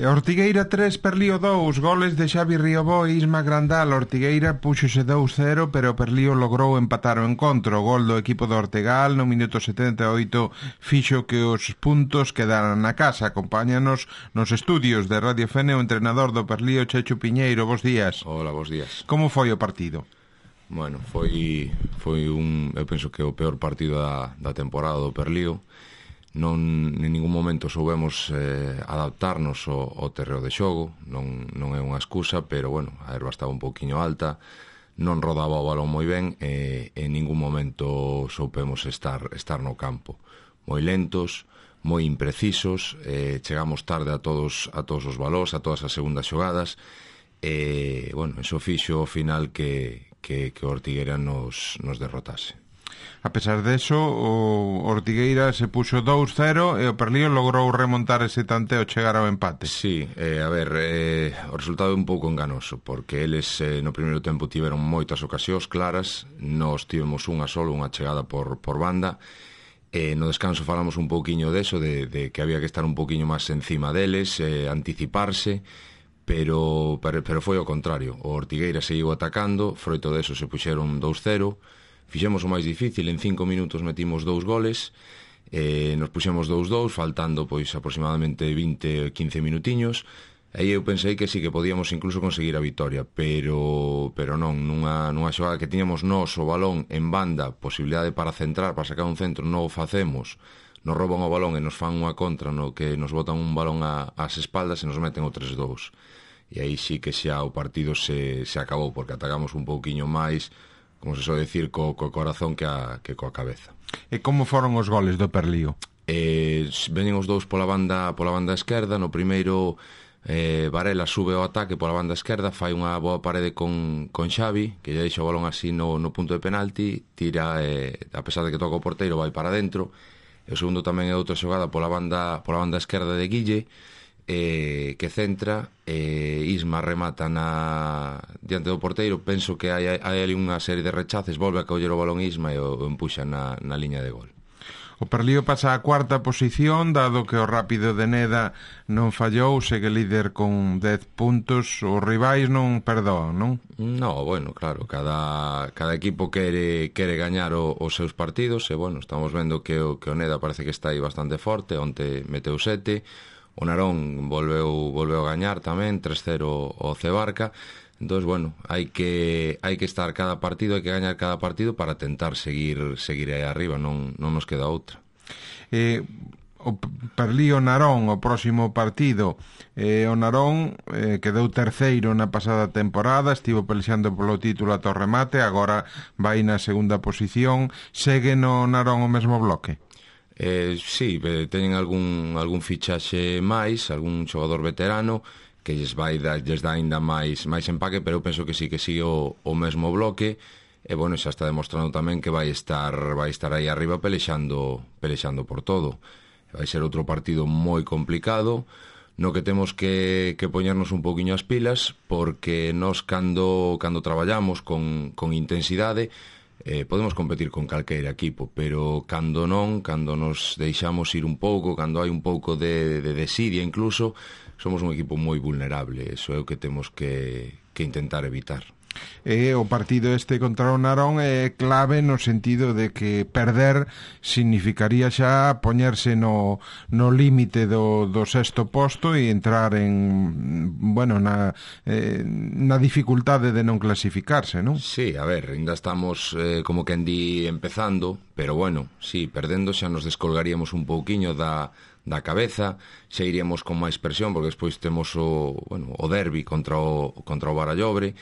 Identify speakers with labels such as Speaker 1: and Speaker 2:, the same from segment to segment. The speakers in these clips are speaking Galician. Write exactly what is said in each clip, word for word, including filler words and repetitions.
Speaker 1: Ortigueira tres, Perlío dous, goles de Xavi Riobó e Isma Grandal. Ortigueira puxose dous cero, pero Perlío logrou empatar o encontro. O gol do equipo do Ortegal no minuto setenta e oito fixo que os puntos quedaran na casa. Acompáñanos nos estudios de Radio Fene o entrenador do Perlío, Chechu Piñeiro. Bos días.
Speaker 2: Hola, bos días.
Speaker 1: Como foi o partido?
Speaker 2: Bueno, foi foi un, eu penso que o peor partido da, da temporada do Perlío. Non en ningún momento soubemos eh, adaptarnos ao, ao terreo de xogo, non, non é unha excusa, pero bueno, a erva estaba un pouquiño alta, non rodaba o balón moi ben e en ningún momento soupemos estar, estar no campo. Moi lentos, moi imprecisos, eh, chegamos tarde a todos a todos os balóns, a todas as segundas xogadas, e bueno, eso fixo ao final que, que, que o Ortigueira nos, nos derrotase.
Speaker 1: A pesar deso, o Ortigueira se puxo dous cero e o Perlío logrou remontar ese tanteo, chegar ao empate.
Speaker 2: Sí, eh, a ver, eh, o resultado é un pouco enganoso, porque eles eh, no primeiro tempo tiveron moitas ocasións claras, nós tivemos unha solo, unha chegada por, por banda, e no descanso falamos un pouquiño deso, de, de que había que estar un pouquiño máis encima deles, eh, anticiparse, pero, pero, pero foi ao contrario. O Ortigueira seguiu atacando, froito deso se puxeron dous cero, fixemos o máis difícil, en cinco minutos metimos dous goles, eh, nos puxemos dous dous, faltando pois aproximadamente vinte, quince minutiños, e eu pensei que sí, que podíamos incluso conseguir a vitoria, pero pero non, nunha, nunha xogada que tiñamos nós o balón en banda, posibilidade para centrar, para sacar un centro, non o facemos, nos rouban o balón e nos fan unha contra no que nos botan un balón a, ás espaldas e nos meten o tres dous, e aí sí que xa o partido se, se acabou, porque atacamos un pouquiño máis, como se soe decir, co, co corazón que, a, que coa cabeza.
Speaker 1: E como foron os goles do Perlío?
Speaker 2: Eh, veñen os dous pola banda pola banda esquerda. No primeiro, eh, Varela sube ao ataque pola banda esquerda, fai unha boa parede con, con Xavi, que lle deixa o balón así no, no punto de penalti, tira, eh, a pesar de que toca o porteiro, vai para dentro. E o segundo tamén é outra xogada pola banda, pola banda esquerda de Guille, Eh, que centra, eh, Isma remata na diante do porteiro, penso que hai, hai ali unha serie de rechaces, volve a coller o balón Isma e o, o empuxa na, na liña de gol.
Speaker 1: O Perlío pasa a cuarta posición, dado que o Rápido de Neda non fallou, segue líder con dez puntos, os rivais non perdoan, non?
Speaker 2: No, bueno, claro, cada, cada equipo quere, quere gañar o, os seus partidos, e bueno, estamos vendo que o, que o Neda parece que está aí bastante forte, onte meteu sete, o Narón volveu volveu a gañar tamén tres cero o Cebarca. Entón, bueno, hai que hai que estar cada partido, hai que gañar cada partido para tentar seguir seguir aí arriba, non non nos queda outra.
Speaker 1: Eh, o Perlío Narón, o próximo partido, eh, o Narón eh, quedou terceiro na pasada temporada, estivo pelexando polo título ata o remate, agora vai na segunda posición. Segue no Narón o mesmo bloque?
Speaker 2: Eh, sí, teñen algún, algún fichaxe máis, algún xogador veterano que lles vai da, lles dá ainda máis, máis empaque, pero eu penso que sí que sigue o, o mesmo bloque, e bueno, xa está demostrando tamén que vai estar vai estar aí arriba pelexando, pelexando por todo. Vai ser outro partido moi complicado, no que temos que, que poñernos un poquinho as pilas, porque nós cando, cando traballamos con, con intensidade, Eh, podemos competir con calqueira equipo, pero cando non, cando nos deixamos ir un pouco, cando hai un pouco de, de desidia incluso, somos un equipo moi vulnerable. Eso é o que temos que, que intentar evitar.
Speaker 1: E o partido este contra o Narón é clave no sentido de que perder significaría xa poñerse no, no límite do, do sexto posto e entrar en, bueno, na, eh, na dificultade de non clasificarse, non?
Speaker 2: Sí, a ver, ainda estamos eh, como que di empezando, pero bueno, sí, perdendo xa nos descolgaríamos un pouquiño da da cabeza, xa iríamos con máis presión, porque despois temos o, bueno, o derbi contra o, contra o Barallobre.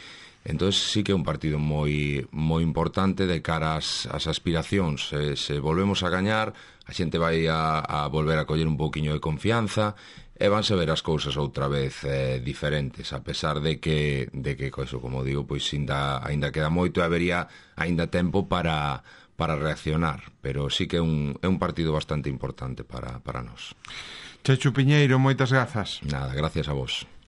Speaker 2: Entón sí que é un partido moi moi importante de cara ás, ás aspiracións. Se, se volvemos a gañar, a xente vai a, a volver a coller un pouquiño de confianza e vanse ver as cousas outra vez eh, diferentes, a pesar de que, de que eso, como digo, pois ainda, ainda queda moito e habería ainda tempo para, para reaccionar, pero sí que é un, é un partido bastante importante para, para nós.
Speaker 1: Chechu Piñeiro, moitas grazas.
Speaker 2: Nada, gracias a vos.